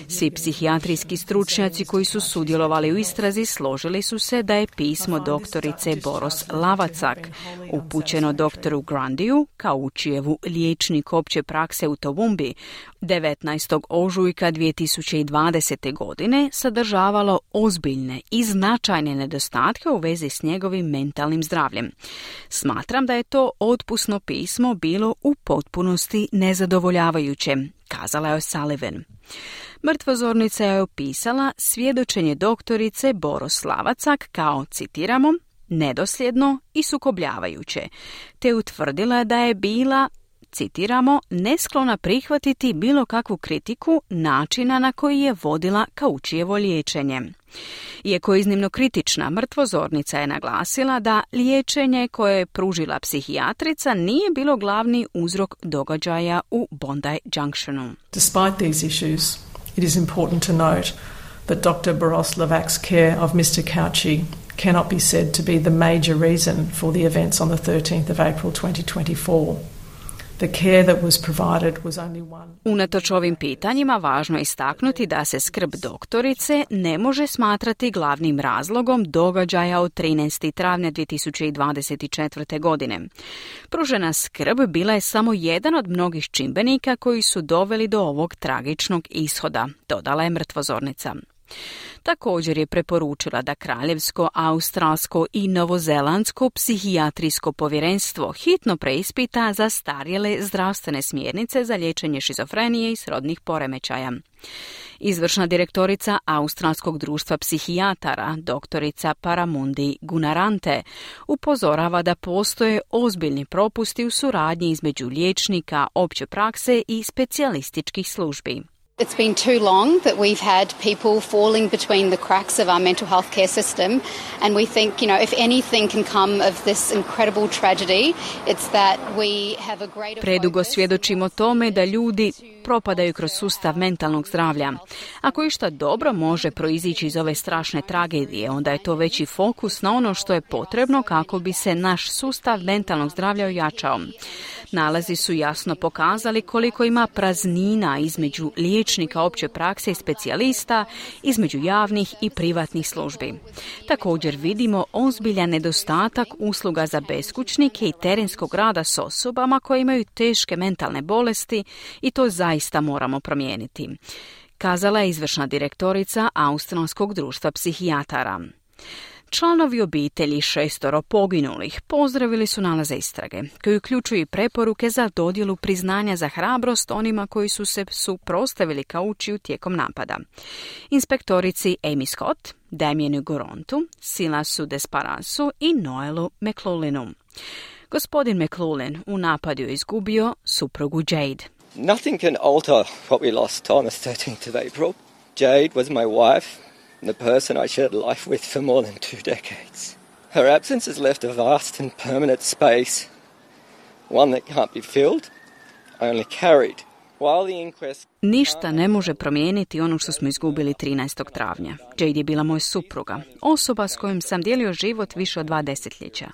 Svi psihijatrijski stručnjaci koji su sudjelovali u istrazi složili su se da je pismo doktorice Boros-Lavacak upućeno doktoru Grundiju, Cauchijevu liječniku opće prakse u Toowoomba, 19. ožujka 2020. godine sadržavalo ozbiljne i značajne nedostatke u vezi s njegovim mentalnim zdravljem. Smatram da je to otpusno pismo bilo u potpunosti nezadovoljavajuće, kazala je O'Sullivan. Mrtvozornica je opisala svjedočenje doktorice Boros-Lavacak kao, citiramo, nedosljedno i sukobljavajuće, te utvrdila da je bila, citiramo, nesklona prihvatiti bilo kakvu kritiku načina na koji je vodila Cauchijevo liječenje. Iako je iznimno kritična, mrtvozornica je naglasila da liječenje koje je pružila psihijatrica nije bilo glavni uzrok događaja u Bondi Junctionu. Despite these issues, it is important to note that Dr. Boros-Lavac's care of Mr. Cauchi cannot be said to be the major reason for the events on the 13th of April 2024. The care that was provided was only one. Unatoč ovim pitanjima važno je istaknuti da se skrb doktorice ne može smatrati glavnim razlogom događaja od 13. travnja 2024. godine. Pružena skrb bila je samo jedan od mnogih čimbenika koji su doveli do ovog tragičnog ishoda, dodala je mrtvozornica. Također je preporučila da Kraljevsko, Australsko i Novozelandsko psihijatrijsko povjerenstvo hitno preispita zastarjele zdravstvene smjernice za liječenje šizofrenije i srodnih poremećaja. Izvršna direktorica Australskog društva psihijatara, doktorica Paramundi Gunarante, upozorava da postoje ozbiljni propusti u suradnji između liječnika opće prakse i specijalističkih službi. It's been too long that we've had people falling between the cracks of our mental health care system, and we think, if anything can come of this incredible tragedy, it's that we have a greater Predugo svjedočimo tome da ljudi propadaju kroz sustav mentalnog zdravlja. Ako išta dobro može proizići iz ove strašne tragedije, onda je to veći fokus na ono što je potrebno kako bi se naš sustav mentalnog zdravlja ojačao. Nalazi su jasno pokazali koliko ima praznina između liječnika opće prakse i specijalista, između javnih i privatnih službi. Također vidimo ozbiljan nedostatak usluga za beskućnike i terenskog rada s osobama koje imaju teške mentalne bolesti i to zaista moramo promijeniti, kazala je izvršna direktorica Australskog društva psihijatara. Članovi obitelji 6 poginulih pozdravili su nalaze istrage, koji uključuju i preporuke za dodjelu priznanja za hrabrost onima koji su se suprotstavili kaučiju tijekom napada. Inspektorici Amy Scott, Damienu Gorontu, Silasu Desparasu i Noelu McLaughlinu. Gospodin McLaughlin u napadu je izgubio suprugu Jade. Nothing can alter what we lost on the 13th of April. Jade was my wife, the person I shared life with for more than 2 decades. Her absence has left a vast and permanent space, one that can't be filled, only carried. While the inquest... Ništa ne može promijeniti ono što smo izgubili 13. travnja. Jade je bila moj supruga, osoba s kojom sam dijelio život više od 2 desetljeća.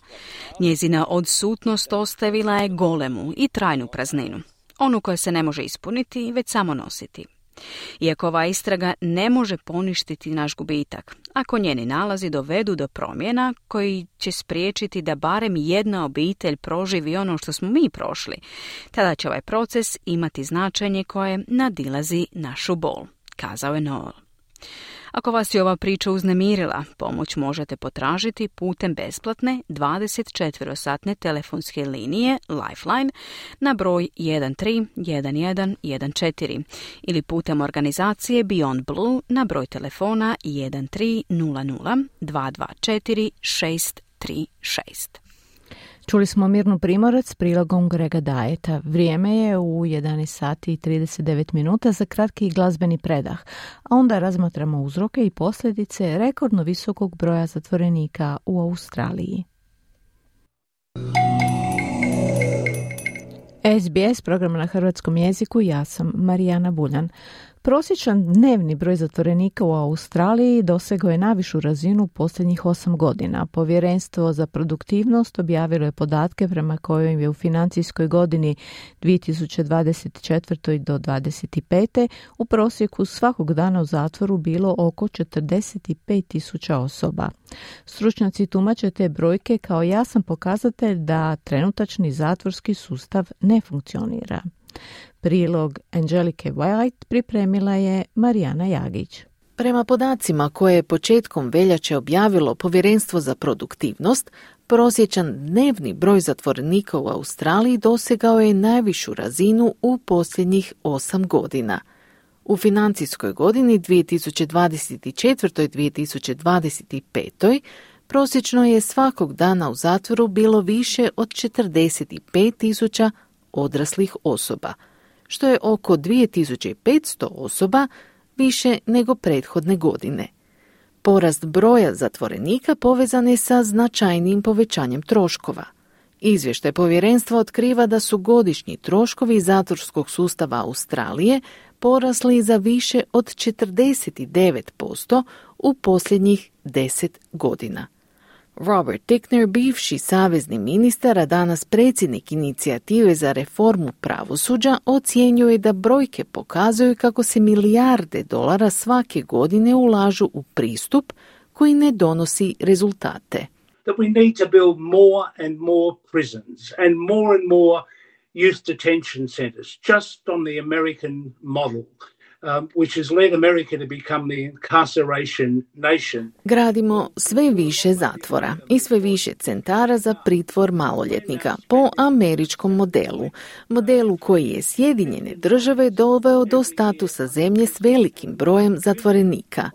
Njezina odsutnost ostavila je golemu i trajnu prazninu, onu koja se ne može ispuniti, već samo nositi. Iako ova istraga ne može poništiti naš gubitak, ako njeni nalazi dovedu do promjena koji će spriječiti da barem jedna obitelj proživi ono što smo mi prošli, tada će ovaj proces imati značenje koje nadilazi našu bol, kazao je Noel. Ako vas je ova priča uznemirila, pomoć možete potražiti putem besplatne 24-satne telefonske linije Lifeline na broj 131114 ili putem organizacije Beyond Blue na broj telefona 1300 224 636. Čuli smo Mirnu Primorac s prilogom Grega Dajeta. Vrijeme je u 11 sati i 39 minuta za kratki glazbeni predah, a onda razmatramo uzroke i posljedice rekordno visokog broja zatvorenika u Australiji. SBS program na hrvatskom jeziku, ja sam Marijana Buljan. Prosječan dnevni broj zatvorenika u Australiji dosegao je najvišu razinu u posljednjih 8 godina. Povjerenstvo za produktivnost objavilo je podatke prema kojim je u financijskoj godini 2024. do 2025. u prosjeku svakog dana u zatvoru bilo oko 45.000 osoba. Stručnjaci tumače te brojke kao jasan pokazatelj da trenutačni zatvorski sustav ne funkcionira. Prilog Angelike White pripremila je Marijana Jagić. Prema podacima koje je početkom veljače objavilo Povjerenstvo za produktivnost, prosječan dnevni broj zatvorenika u Australiji dosegao je najvišu razinu u posljednjih 8 godina. U financijskoj godini 2024-2025 prosječno je svakog dana u zatvoru bilo više od 45.000 odraslih osoba, što je oko 2500 osoba više nego prethodne godine. Porast broja zatvorenika povezan je sa značajnim povećanjem troškova. Izvještaj povjerenstva otkriva da su godišnji troškovi zatvorskog sustava Australije porasli za više od 49% u posljednjih 10 godina. Robert Tickner, bivši savezni ministar, a danas predsjednik inicijative za reformu pravosuđa, ocjenjuje da brojke pokazuju kako se milijarde dolara svake godine ulažu u pristup koji ne donosi rezultate. That we need to build more and more prisons and more youth detention centers, just on the American model. which has led America to become the incarceration nation. Gradimo sve više zatvora i sve više centara za pritvor maloljetnika po američkom modelu koji je Sjedinjene Države doveo do statusa zemlje s velikim brojem zatvorenika.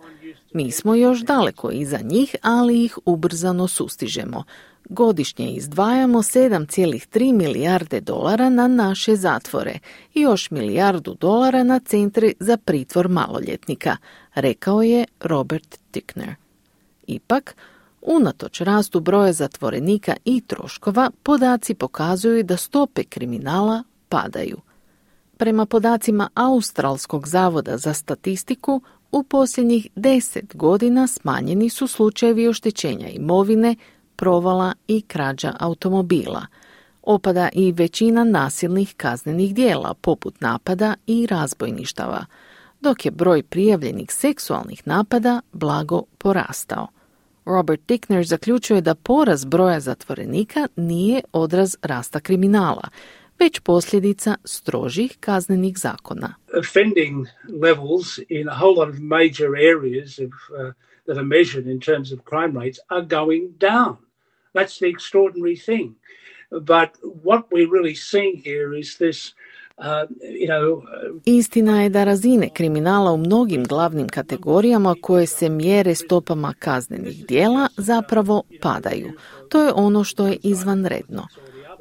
Mi smo još daleko iza njih, ali ih ubrzano sustižemo. Godišnje izdvajamo 7,3 milijarde dolara na naše zatvore i još $1 milijardu na centre za pritvor maloljetnika, rekao je Robert Tickner. Ipak, unatoč rastu broja zatvorenika i troškova, podaci pokazuju da stope kriminala padaju. Prema podacima Australskog zavoda za statistiku, u posljednjih 10 godina smanjeni su slučajevi oštećenja imovine, provala i krađa automobila. Opada i većina nasilnih kaznenih djela, poput napada i razbojništava, dok je broj prijavljenih seksualnih napada blago porastao. Robert Tickner zaključuje da porast broja zatvorenika nije odraz rasta kriminala, već posljedica strožih kaznenih zakona. Offending levels in a whole lot of major areas that are measured in terms of crime rates are going down. That's the extraordinary thing. But what we're really seeing here is this, Istina je da razine kriminala u mnogim glavnim kategorijama koje se mjere stopama kaznenih djela zapravo padaju. To je ono što je izvanredno.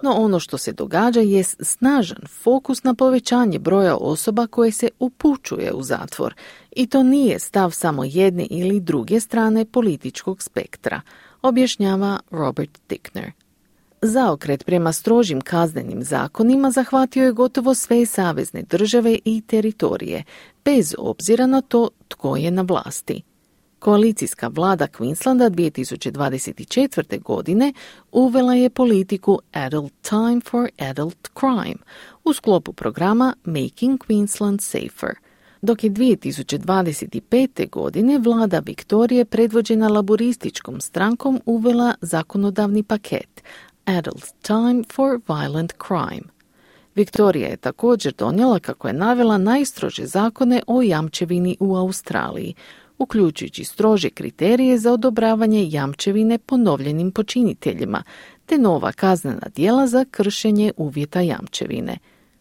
No ono što se događa je snažan fokus na povećanje broja osoba koje se upućuje u zatvor. I to nije stav samo jedne ili druge strane političkog spektra, objašnjava Robert Tickner. Zaokret prema strožim kaznenim zakonima zahvatio je gotovo sve savezne države i teritorije, bez obzira na to tko je na vlasti. Koalicijska vlada Queenslanda 2024. godine uvela je politiku Adult Time for Adult Crime u sklopu programa Making Queensland Safer, dok je 2025. godine vlada Viktorije predvođena laborističkom strankom uvela zakonodavni paket Adult Time for Violent Crime. Viktorija je također donijela, kako je navela, najstrože zakone o jamčevini u Australiji, uključujući strože kriterije za odobravanje jamčevine ponovljenim počiniteljima, te nova kaznena djela za kršenje uvjeta jamčevine.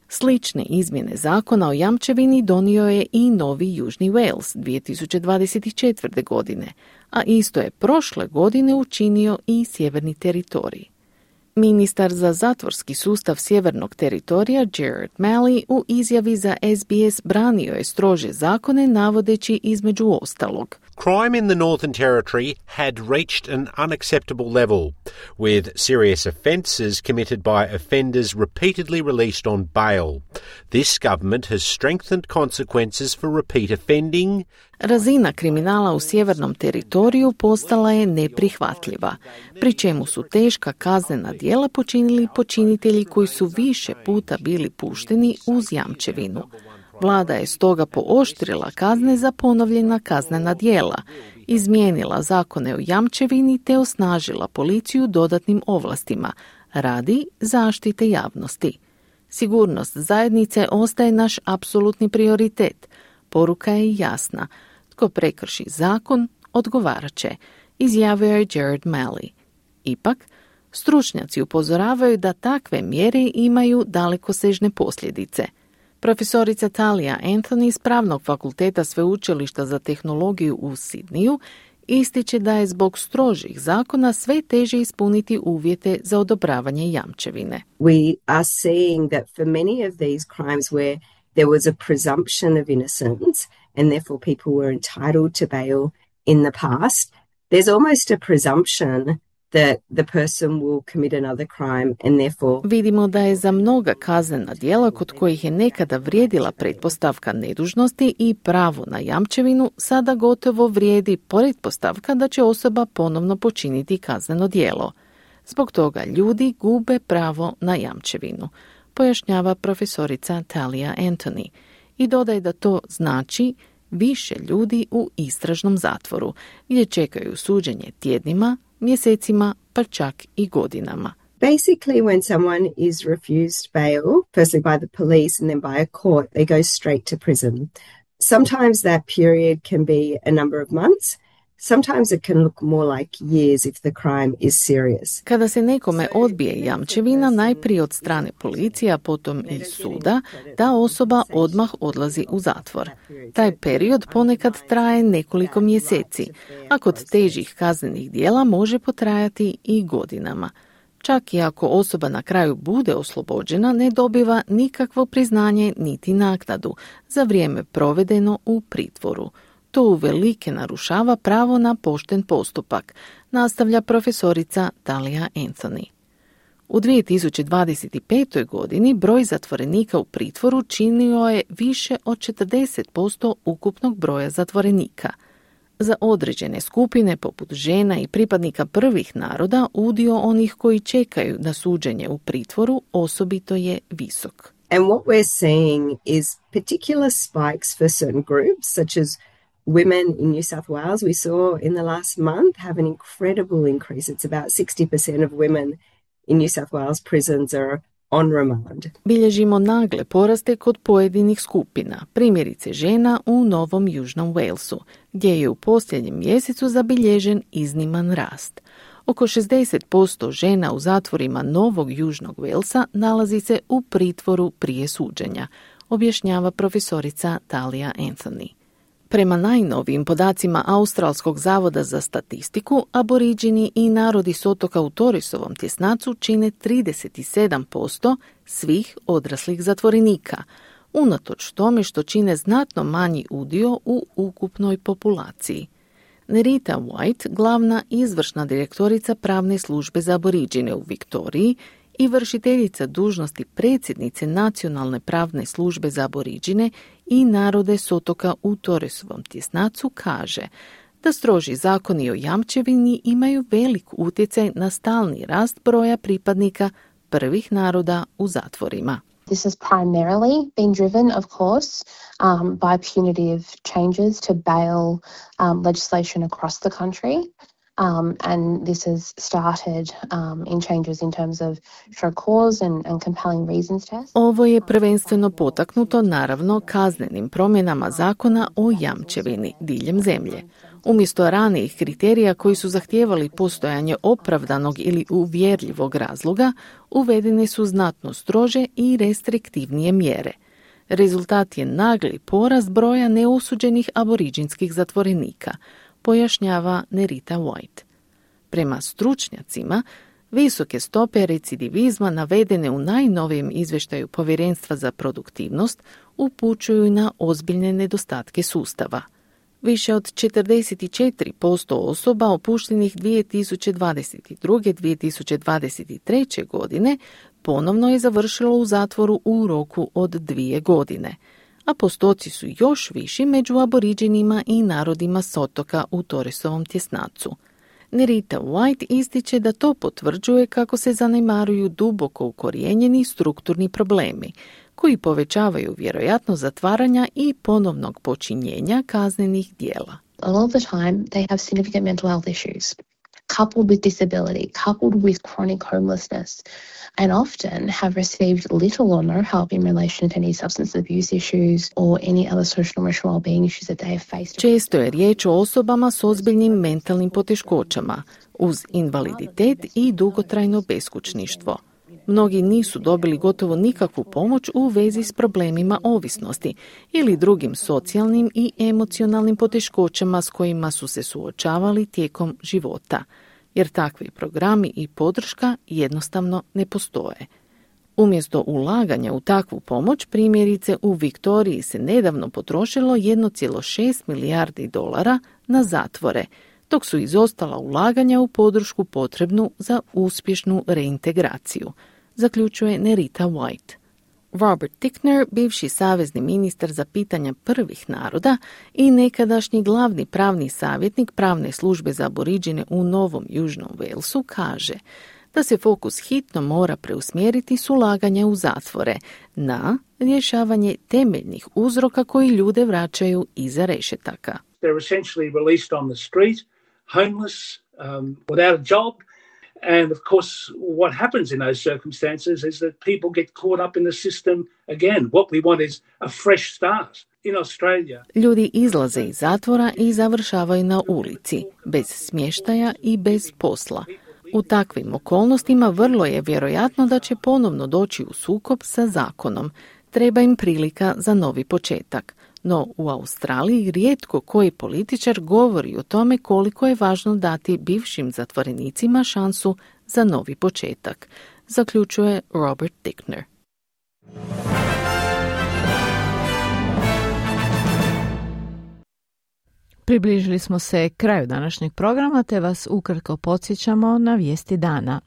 Slične izmjene zakona o jamčevini donio je i Novi Južni Wales 2024. godine, a isto je prošle godine učinio i Sjeverni teritorij. Ministar za zatvorski sustav Sjevernog teritorija Gerard Malley u izjavi za SBS branio je strože zakone navodeći između ostalog: Crime in the Northern Territory had reached an unacceptable level, with serious offences committed by offenders repeatedly released on bail. This government has strengthened consequences for repeat offending. Razina kriminala u Sjevernom teritoriju postala je neprihvatljiva, pri čemu su teška kaznena djela počinili počinitelji koji su više puta bili pušteni uz jamčevinu. Vlada je stoga pooštrila kazne za ponovljena kaznena djela, izmijenila zakone o jamčevini te osnažila policiju dodatnim ovlastima radi zaštite javnosti. Sigurnost zajednice ostaje naš apsolutni prioritet. Poruka je jasna. Tko prekrši zakon, odgovarat će, izjavio je Gerard Malley. Ipak, stručnjaci upozoravaju da takve mjere imaju dalekosežne posljedice. Profesorica Talia Anthony s Pravnog fakulteta Sveučilišta za tehnologiju u Sidniju ističe da je zbog strožih zakona sve teže ispuniti uvjete za odobravanje jamčevine. We are seeing that for many of these crimes where there was a presumption of innocence and therefore people were entitled to bail in the past, there's almost a presumption that the person will commit another crime and therefore... Vidimo da je za mnoga kaznena djela kod kojih je nekada vrijedila pretpostavka nedužnosti i pravo na jamčevinu, sada gotovo vrijedi pretpostavka da će osoba ponovno počiniti kazneno djelo. Zbog toga ljudi gube pravo na jamčevinu, pojašnjava profesorica Talia Anthony i dodaje da to znači više ljudi u istražnom zatvoru, gdje čekaju suđenje tjednima, mjesecima, pa čak i godinama. Basically, when someone is refused bail, firstly by the police and then by a court, they go straight to prison. Sometimes that period can be a number of months. Sometimes it can look more like years if the crime is serious. Kada se nekome odbije jamčevina, najprije od strane policije, a potom i suda, ta osoba odmah odlazi u zatvor. Taj period ponekad traje nekoliko mjeseci, a kod težih kaznenih djela može potrajati i godinama. Čak i ako osoba na kraju bude oslobođena, ne dobiva nikakvo priznanje niti naknadu za vrijeme provedeno u pritvoru. To uvelike narušava pravo na pošten postupak, nastavlja profesorica Talia Anthony. U 2025. godini broj zatvorenika u pritvoru činio je više od 40% ukupnog broja zatvorenika. Za određene skupine, poput žena i pripadnika prvih naroda, udio onih koji čekaju na suđenje u pritvoru osobito je visok. And what we're seeing is particular spikes for certain groups, such as women in New South Wales. We saw in the last month have an incredible increase. It's about 60% of women in New South Wales prisons are on remand. Bilježimo nagle poraste kod pojedinih skupina, primjerice žena u Novom Južnom Walesu, gdje je u posljednjem mjesecu zabilježen izniman rast. Oko 60% žena u zatvorima Novog Južnog Walesa nalazi se u pritvoru prije suđenja, objašnjava profesorica Talia Anthony. Prema najnovijim podacima Australskog zavoda za statistiku, aboriđini i narodi s otoka u Torresovom tjesnacu čine 37% svih odraslih zatvorenika, unatoč tome što čine znatno manji udio u ukupnoj populaciji. Nerita White, glavna izvršna direktorica pravne službe za aboriđine u Viktoriji i vršiteljica dužnosti predsjednice Nacionalne pravne službe za aboriđine i narode s otoka u Torresovom tjesnacu, kaže da stroži zakoni o jamčevini imaju velik utjecaj na stalni rast broja pripadnika prvih naroda u zatvorima. This has primarily been driven, of course, by punitive changes to bail legislation across the country. And this has started in changes in terms of show cause and compelling reasons test. Ovo je prvenstveno potaknuto naravno kaznenim promjenama zakona o jamčevini diljem zemlje. Umjesto ranijih kriterija koji su zahtijevali postojanje opravdanog ili uvjerljivog razloga, uvedene su znatno strože i restriktivnije mjere. Rezultat je nagli porast broja neosuđenih aboriđinskih zatvorenika, pojašnjava Nerita White. Prema stručnjacima, visoke stope recidivizma navedene u najnovijem izvještaju Povjerenstva za produktivnost upućuju na ozbiljne nedostatke sustava. Više od 44% osoba opuštenih 2022-2023. godine ponovno je završilo u zatvoru u roku od 2 godine, a postoci su još viši među aboriđinima i narodima s otoka u Torresovom tjesnacu. Nerita White ističe da to potvrđuje kako se zanemaruju duboko ukorijenjeni strukturni problemi, koji povećavaju vjerojatnost zatvaranja i ponovnog počinjenja kaznenih djela. A lot of the time they have significant mental health issues, coupled with disability, coupled with chronic homelessness, and often have received little or no help in relation to any substance abuse issues or any other social and emotional well-being issues that they have faced. Često je riječ o osobama s ozbiljnim mentalnim poteškoćama, uz invaliditet i dugotrajno beskućništvo. Mnogi nisu dobili gotovo nikakvu pomoć u vezi s problemima ovisnosti ili drugim socijalnim i emocionalnim poteškoćama s kojima su se suočavali tijekom života, jer takvi programi i podrška jednostavno ne postoje. Umjesto ulaganja u takvu pomoć, primjerice u Viktoriji se nedavno potrošilo 1,6 milijardi dolara na zatvore, dok su izostala ulaganja u podršku potrebnu za uspješnu reintegraciju, zaključuje Nerita White. Robert Tickner, bivši savezni ministar za pitanja prvih naroda i nekadašnji glavni pravni savjetnik pravne službe za aboriđine u Novom Južnom Walesu, kaže da se fokus hitno mora preusmjeriti s ulaganja u zatvore na rješavanje temeljnih uzroka koji ljude vraćaju iza rešetaka. They're essentially released on the street, homeless, without a job. And of course, what happens in those circumstances is that people get caught up in the system again. What we want is a fresh start. in Australia. Ljudi izlaze iz zatvora i završavaju na ulici, bez smještaja i bez posla. U takvim okolnostima vrlo je vjerojatno da će ponovno doći u sukob sa zakonom. Treba im prilika za novi početak. No u Australiji rijetko koji političar govori o tome koliko je važno dati bivšim zatvorenicima šansu za novi početak, zaključuje Robert Dickner. Približili smo se kraju današnjeg programa, te vas ukratko podsjećamo na vijesti dana.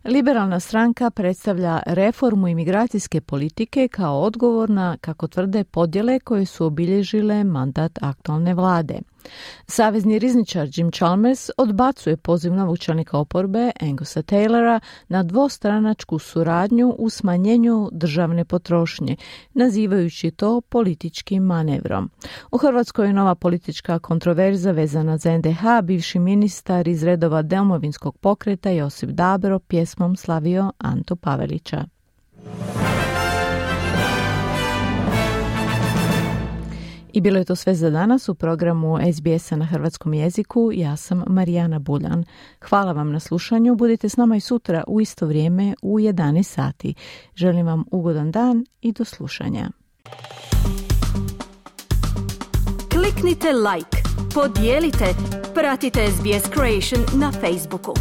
Liberalna stranka predstavlja reformu imigracijske politike kao odgovor na, kako tvrde, podjele koje su obilježile mandat aktualne vlade. Savezni rizničar Jim Chalmers odbacuje poziv novog čelnika oporbe Angusa Taylora na dvostranačku suradnju u smanjenju državne potrošnje, nazivajući to političkim manevrom. U Hrvatskoj je nova politička kontroverza vezana za NDH. Bivši ministar iz redova Domovinskog pokreta Josip Dabro pjesmom slavio Antu Pavelića. I bilo je to sve za danas u programu SBS-a na hrvatskom jeziku. Ja sam Marijana Buljan. Hvala vam na slušanju. Budite s nama i sutra u isto vrijeme u 11 sati. Želim vam ugodan dan i do slušanja. Kliknite like, podijelite, pratite SBS Creation na Facebooku.